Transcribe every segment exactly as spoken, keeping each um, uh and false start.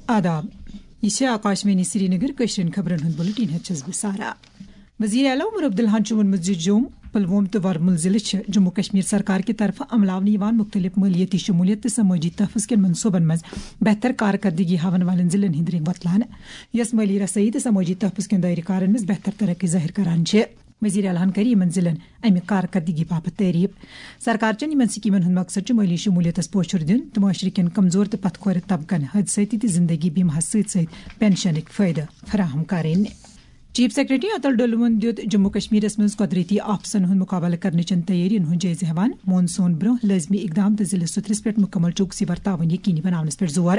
آداب۔ یہ چھِ آکاشوانی سرینگر کٲشرٮ۪ن خبرن ہُنٛد بُلٹن، ہٮ۪تھ چھَس بہٕ سارا۔ وزیر اعلیٰ عمر عبداللہَن چھُ ووٚنمُت زِ جوٚم، پلوۄم تہٕ ورمُل ضلعہٕ چھِ جموں کشمیر سرکار کہِ طرفہٕ عملاونہٕ یِوان مُختٔلِف مٲلیٲتی شموٗلیت تہٕ سمٲجی تحفظ کٮ۪ن منصوٗبن منٛز بہتر کارکردگی ہاوَن والٮ۪ن ضلعن ہٕنٛدۍ رنٛگ وۄتلان، یۄس مٲلی رسٲیی تہٕ سمٲجی تحفظ کٮ۪ن دٲیرٕ کارن منٛز بہتر ترقی ظٲہِر کران چھِ۔ وزیر اعلیٰ ہن کٔر یِمن ضلعن امہِ کارکردگی باپتھ تعریف۔ سرکار چٮ۪ن یِمن سکیمن ہُنٛد مقصد چھُ مٲلی شمولیتس پوچھر دیُن تہٕ معاشرٕ کٮ۪ن کمزور تہٕ پتھ کھورِ طبقن حٲدثٲتی تہٕ زندگی بیمہس سۭتۍ سۭتۍ پینشنٕکۍ فٲیدٕ فراہم کرٕنۍ۔ چیف سیکرٹری اتل ڈولون دِیُت جموں کشمیرس منٛز قدرتی آفژن ہُنٛد مقابلہٕ کرنٕچن تیٲرین ہُنٛد جٲیزٕ ہٮ۪وان، مون سون برونٛہہ لٲزمی اقدام تہٕ ضلعہٕ سترس پٮ۪ٹھ مکمل چوکسی ورتاوٕنۍ یقینی بناونس پٮ۪ٹھ زور۔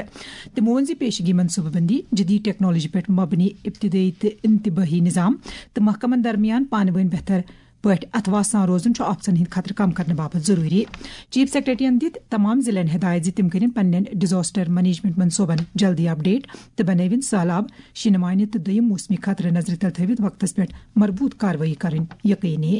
تِمو ووٚن زِ پیشگی منصوبہٕ بندی، جدید ٹیکنالوجی پٮ۪ٹھ مبنی ابتدٲیی تہٕ انتباہی نظام تہٕ محکمن درمیان پانہٕ وٲنۍ بہتر پٲٹھۍ اتھواہ سان روزُن چھُ آفژن ہٕنٛدۍ خطرٕ کم کرنہٕ باپتھ ضروٗری۔ چیف سیکرٹریَن دِتۍ تمام ضلعن ہدایت زِ تِم کٔرِن پننٮ۪ن ڈیزاسٹر مینجمنٹ منصوبن جلدی اپڈیٹ تہٕ بنٲوِن سہلاب، شیٖنہٕ مانہِ تہٕ دوٚیِم موسمی خطرٕ نظرِ تل تھٲوِتھ وقتس پٮ۪ٹھ مربوط کاروٲیی کرٕنۍ یقینی۔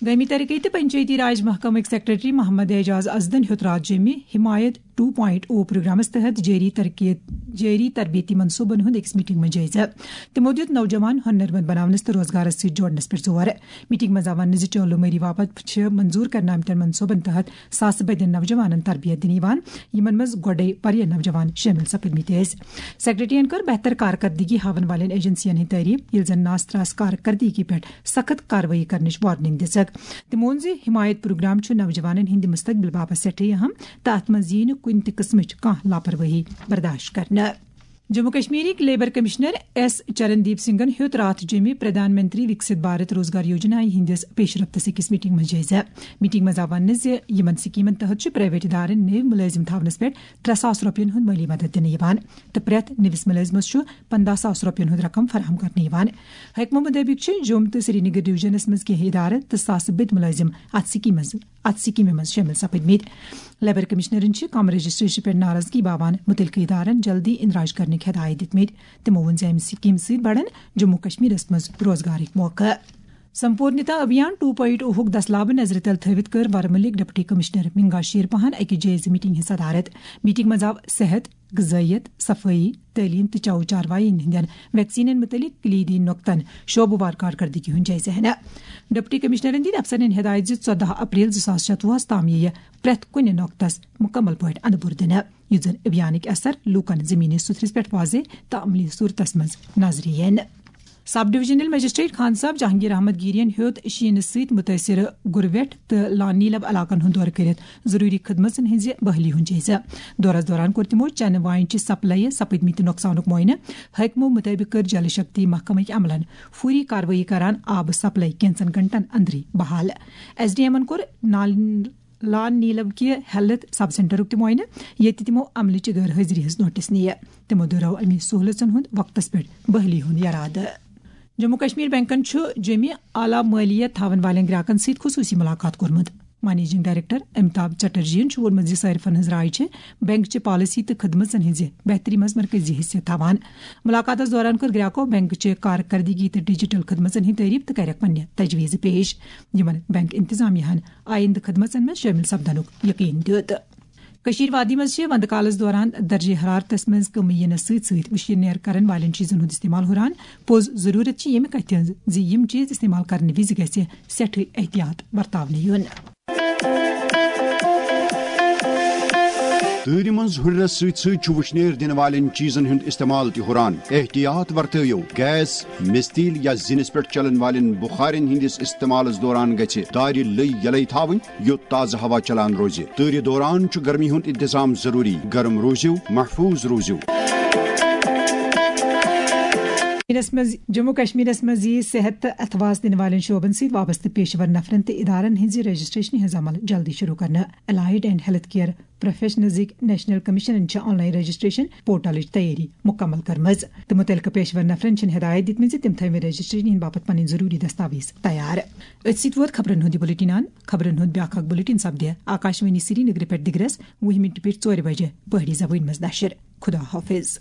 گٲمی ترقی تہٕ پنچایتی راج محکمٕکۍ سیکرٹری محمد اعجاز ازدن ہیوٚت راتھ جیٚمہِ حمایت ٹو پوائنٹ او پروگرامس تحت جٲری ترقی، جٲری تربیتی منصوبن ہُنٛد أکِس میٹنگ منٛز جٲیزٕ۔ تِمو دِیُت نوجوان ہُنرمند بناونس تہٕ روزگارس سۭتۍ جوڑنس پٮ۪ٹھ زور۔ میٹنگ منٛز آو وننہٕ زِ چولو مری باپتھ چھِ منظور کرنہٕ آمتٮ۪ن منصوبن تحت ساسہٕ بٔدٮ۪ن نوجوانن تربیت دِنہٕ یِوان، یِمن منٛز گۄڈے واریاہ نوجوان شٲمِل سپٕدمٕتۍ ٲسۍ۔ سیکرٹریَن کٔر بہتر کارکردگی ہاوَن والٮ۪ن ایجنسیَن ہٕنٛدۍ تعریف، ییٚلہِ زَن ناس تراس کارکردگی پٮ۪ٹھ سخت کاروٲیی کرنٕچ وارننگ دِژٕکھ۔ تِمو ووٚن زِ حمایت پروگرام چھُ نوجوانن ہٕنٛدِ مستقبل باپتھ سٮ۪ٹھاہ اہم تہٕ اتھ منٛز یِیہِ نہٕ کُنہِ تہِ قٕسمٕچ کانٛہہ لاپروٲہی برداشت کرنہٕ۔ جموں کشمیرٕکۍ لیبر کمشنر ایس چرندیپ سنگھن ہیوٚت راتھ جیٚمہِ پردھان منتری وکسِت بھارت روزگار یوجنا ہٕنٛدِس پیش رفتس أکِس میٹنگ منٛز جٲیزٕ۔ میٹنگ منٛز آو وننہٕ زِ یِمن سکیمن تحت چھُ پرائیویٹ ادارن نٔوۍ مُلٲزِم تھاونس پٮ۪ٹھ ترٛےٚ ساس رۄپین ہُنٛد مٲلی مدد دِنہٕ یِوان تہٕ پرٛٮ۪تھ نٔوِس مُلٲزمس چھُ پنٛداہ ساس رۄپین ہُنٛد رقم فراہم کرنہٕ یِوان۔ حکمہٕ مُطٲبِق چھِ جوٚم تہٕ سرینگر ڈویژنس منٛز کینٛہہ ادارٕ تہٕ ساسہٕ بٔدۍ مُلٲزِم اتھ سکیمہِ منٛز، اتھ سکیمہِ منٛز شٲمِل سپٕدمٕتۍ۔ لیبر کمشنرن چھِ کم رجسٹریشن پٮ۪ٹھ ناراضگی باوان مُتعلقہٕ ادارن جلدی اندراج کرنٕکۍ ہدایت دِتمٕتۍ۔ تِمو ووٚن زِ امہِ سکیمہِ سۭتۍ بڑن جموں کشمیرس منٛز روزگارٕکۍ موقعہٕ۔ سمپورنتا ابھیان ٹو پوائنٹ اوہُک دسلابہٕ نظرِ تل تھٲوِتھ کٔر ورمُلٕکۍ ڈپٹی کمشنر منگا شیرپہن اکہِ جٲیزٕ میٹنگ ہٕنٛز صدارت۔ میٹنگ منٛز آو صحت، غذائیت، صفٲیی، تعلیم تہٕ چاؤ چاروایین ہٕنٛدٮ۪ن ویکسینن مُتعلق کلیدی نۄقطن شعبہٕ وار کارکردگی ہُنٛد جٲیزٕ ہینہٕ۔ ڈپٹی کمشنرن دِتۍ افسرن ہدایت زِ ژۄدہ اپریل زٕ ساس شتوُہس تام یِیہِ پرٛٮ۪تھ کُنہِ نۄقطس مُکمل پٲٹھۍ اندٕ بُر دِنہٕ، یُتھ زن ابھیانٕکۍ اثر لوٗکن زمینی سُتھرِس پٮ۪ٹھ واضح تہٕ عملی صورتس منٛز نظرِ یِن۔ سب ڈویژنل مجسٹریٹ خان صاحب جہانگیر احمد گیرین ہیوٚت شیٖنہٕ سۭتۍ مُتٲثِر گُرویٹھ تہٕ لان نیلب علاقن ہُنٛد دورٕ کٔرِتھ ضروٗری خدمژن ہٕنٛزِ بحالی ہُنٛد جٲیزٕ۔ دورس دوران کوٚر تِمو چنہٕ واین چہِ سپلایہِ سپٕدمٕتۍ نۄقصانُک معائنہٕ۔ حٲکمو مُطٲبِق کٔر جل شکتی محکمٕکۍ عملن فوری کاروٲیی کران آبہٕ سپلائی کینژن گھنٹن اندرٕے بحال۔ ایس ڈی ایمن کوٚر نال-، لان نیلب کہِ ہیلتھ سب سینٹرُک تہِ معائنہٕ، ییٚتہِ تِمو عملٕچہِ غٲر حٲضری ہٕنٛز نوٹس نِیہِ۔ تِمو دۄہرٲو اَمہِ سہوٗلژن ہُنٛد وقتس پٮ۪ٹھ بحالی ہُنٛد یرادٕ۔ جموں کشمیر بینکن چھُ جیٚمہِ اعلیٰ مٲلیت تھاون والٮ۪ن گراکن سۭتۍ خصوٗصی مُلاقات کوٚرمُت۔ منیجنگ ڈائریکٹر امیتابھ چٹرجیَن چھُ ووٚنمُت زِ صارفن ہٕنٛز راے چھِ بینک چہِ پالیسی تہٕ خدمژن ہٕنٛزِ بہتری منٛز مرکزی حیثیت تھاوان۔ مُلاقاتس دوران کٔر گراکو بینک چہِ کارکردگی تہٕ ڈیجیٹل خدمژن ہٕنٛدۍ تعریف تہٕ کَرٮ۪کھ پننہِ تجویزٕ پیش، یِمن بینک انتظامیہ ہن آئندٕ خدمژن منٛز شٲمِل سپدنُک یقین دیُت۔ کٔشیٖر وادی منٛز چھِ وندٕ کالس دوران درجہ حرارتس منٛز کمی یِنس سۭتۍ سۭتۍ وٕشنیر کرن والٮ۪ن چیٖزن ہُنٛد استعمال ہُران۔ پوٚز ضروٗرت چھِ ییٚمہِ کتھِ ہٕنٛز زِ یِم چیٖز استعمال کرنہٕ وِزِ گژھِ سٮ۪ٹھٕے احتیاط ورتاونہٕ یُن۔ تۭرِ منٛز ہُرنس سۭتۍ سۭتۍ چھُ وٕشنیر دِنہٕ والٮ۪ن چیٖزن ہُنٛد استعمال تہِ ہُران۔ احتیاط ورتٲیِو۔ گیس، مِستیٖل یا زِنِس پٮ۪ٹھ چلن والٮ۪ن بُخارٮ۪ن ہٕنٛدِس استعمالس دوران گژھِ دارِ لٔۍ یلے تھاوٕنۍ، یُتھ تازٕ ہوا چلان روزِ۔ تۭرِ دوران چھُ گرمی ہُنٛد انتظام ضروٗری۔ گرم روٗزِو، محفوٗظ روٗزِو۔ کشمیرس منٛز، جموں کشمیرس منٛز یِیہِ صحت تہٕ اتھواس دِنہٕ والٮ۪ن شعبن سۭتۍ وابستہٕ پیشہٕ ور نفرن تہٕ ادارن ہٕنٛزِ رجسٹریشنہِ ہٕنٛز عمل جلدی شروع کرنہٕ۔ الائیڈ اینڈ ہیلتھ کیئر پروفیشنلزٕکۍ نیشنل کمشنن چھِ آن لائن رجسٹریشن پورٹلٕچ تیٲری مکمل کٔرمٕژ تہٕ مُتعلقہٕ پیشہٕ ور نفرن چھِن ہدایت دِژمٕژ زِ تِم تھٲوِن رجسٹریشنہِ ہٕنٛدِ باپتھ پنٕنۍ ضروٗری دستاویز تیار۔ أتھۍ سۭتۍ ووت خبرن ہُنٛد یہِ بُلٹن اند۔ خبرن ہُنٛد بیٛاکھ اکھ بُلٹن سپدِ آکاشوانی سرینگرٕ پٮ۪ٹھ دِگرس وُہہِ مِنٹہِ پٮ۪ٹھ ژورِ بجہِ پہٲڑی زبٲنۍ منٛز نشر۔ خدا حافظ۔